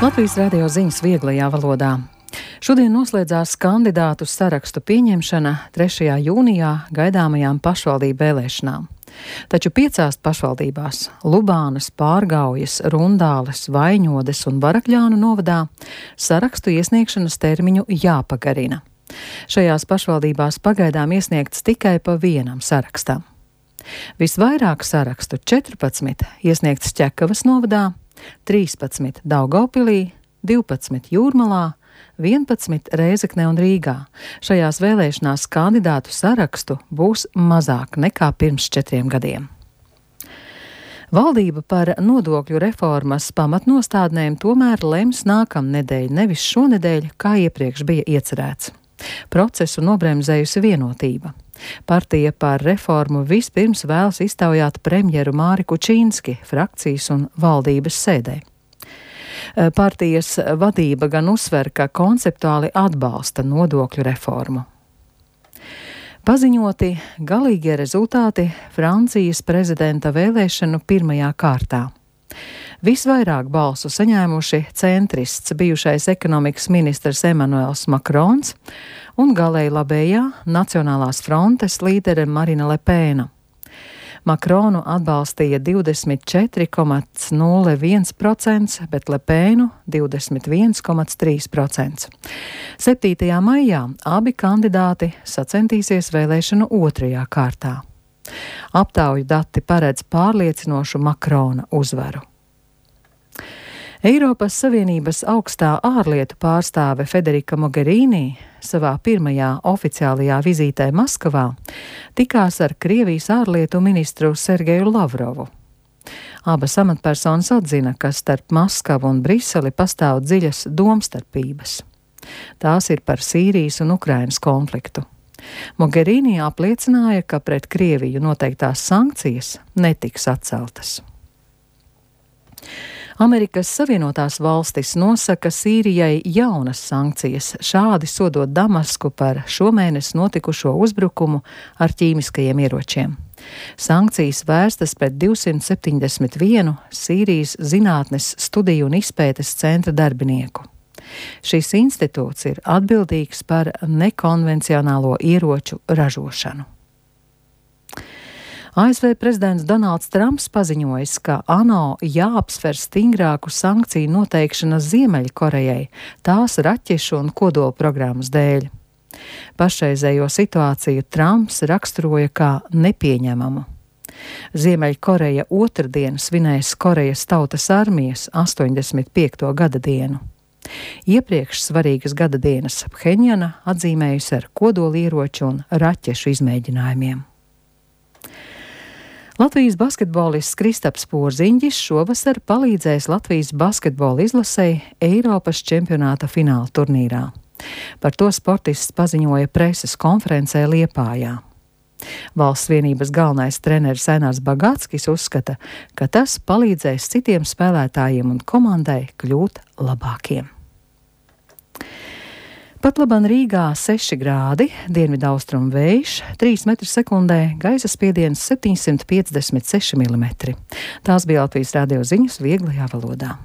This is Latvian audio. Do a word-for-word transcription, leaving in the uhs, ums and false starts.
Latvijas radio ziņas vieglajā valodā. Šodien noslēdzās kandidātu sarakstu pieņemšana trešajā jūnijā gaidāmajām pašvaldību vēlēšanām. Taču piecās pašvaldībās - Lubānas, Pārgaujas, Rundāles, Vaiņodes un Barakļānu novadā - sarakstu iesniegšanas termiņu jāpagarina. Šajās pašvaldībās pagaidām iesniegts tikai pa vienam sarakstam. Visvairāk sarakstu - četrpadsmit iesniegts Ķekavas novadā, trīspadsmit Daugavpilī, divpadsmit Jūrmalā, vienpadsmit Rēzeknē un Rīgā. Šajās vēlēšanās kandidātu sarakstu būs mazāk nekā pirms četriem gadiem. Valdība par nodokļu reformas pamatnostādnēm tomēr lems nākamnedēļ, nevis šonedēļ, kā iepriekš bija iecerēts. Procesu nobremzējusi Vienotība. Partija par reformu vispirms vēlas iztaujāt premjeru Māri Kučīnski frakcijas un valdības sēdē. Partijas vadība gan uzsver, ka konceptuāli atbalsta nodokļu reformu. Paziņoti galīgie rezultāti Francijas prezidenta vēlēšanu pirmajā kārtā. Visvairāk balsu saņēmuši centrists bijušais ekonomikas ministrs Emanuels Makrons un galēji labējā Nacionālās frontes līdere Marina Lepēna. Makronu atbalstīja divdesmit četri komats nulle viens procents, bet Lepēnu divdesmit viens komats trīs procents. septītajā maijā abi kandidāti sacentīsies vēlēšanu otrajā kārtā. Aptauju dati paredz pārliecinošu Makrona uzvaru. Eiropas Savienības augstā ārlietu pārstāve Federika Mogherini savā pirmajā oficiālajā vizītē Maskavā tikās ar Krievijas ārlietu ministru Sergeju Lavrovu. Abas amatpersonas atzina, ka starp Maskavu un Briseli pastāv dziļas domstarpības. Tās ir par Sīrijas un Ukrainas konfliktu. Mogherini apliecināja, ka pret Krieviju noteiktās sankcijas netiks atceltas. Amerikas Savienotās valstis nosaka Sīrijai jaunas sankcijas, šādi sodot Damasku par šomēnes notikušo uzbrukumu ar ķīmiskajiem ieročiem. Sankcijas vērstas pret divsimt septiņdesmit vienu Sīrijas zinātnes studiju un izpētes centra darbinieku. Šis institūts ir atbildīgs par nekonvencionālo ieroču ražošanu. A S V prezidents Donalds Trumps paziņojis, ka ANO jāapsver stingrāku sankciju noteikšanu Ziemeļkorejai tās raķešu un kodola programmas dēļ. Pašreizējo situāciju Trumps raksturoja kā nepieņemamu. Ziemeļkoreja otrdien svinēs Korejas tautas armijas astoņdesmit piekto gada dienu. Iepriekš svarīgas gada dienas Phenjana atzīmējusi ar kodolieroču un raķešu izmēģinājumiem. Latvijas basketbolists Kristaps Porziņģis šovasar palīdzēs Latvijas basketbola izlasei Eiropas čempionāta fināla turnīrā. Par to sportists paziņoja preses konferencē Liepājā. Valsts vienības galvenais treneris Ainārs Bagātskis uzskata, ka tas palīdzēs citiem spēlētājiem un komandai kļūt labākiem. Pat laban Rīgā seši grādi, dienvidaustrumu vējš, trīs metri sekundē, gaisa spiediens septiņsimt piecdesmit seši milimetri. Tās bija Latvijas radio ziņas vieglajā valodā.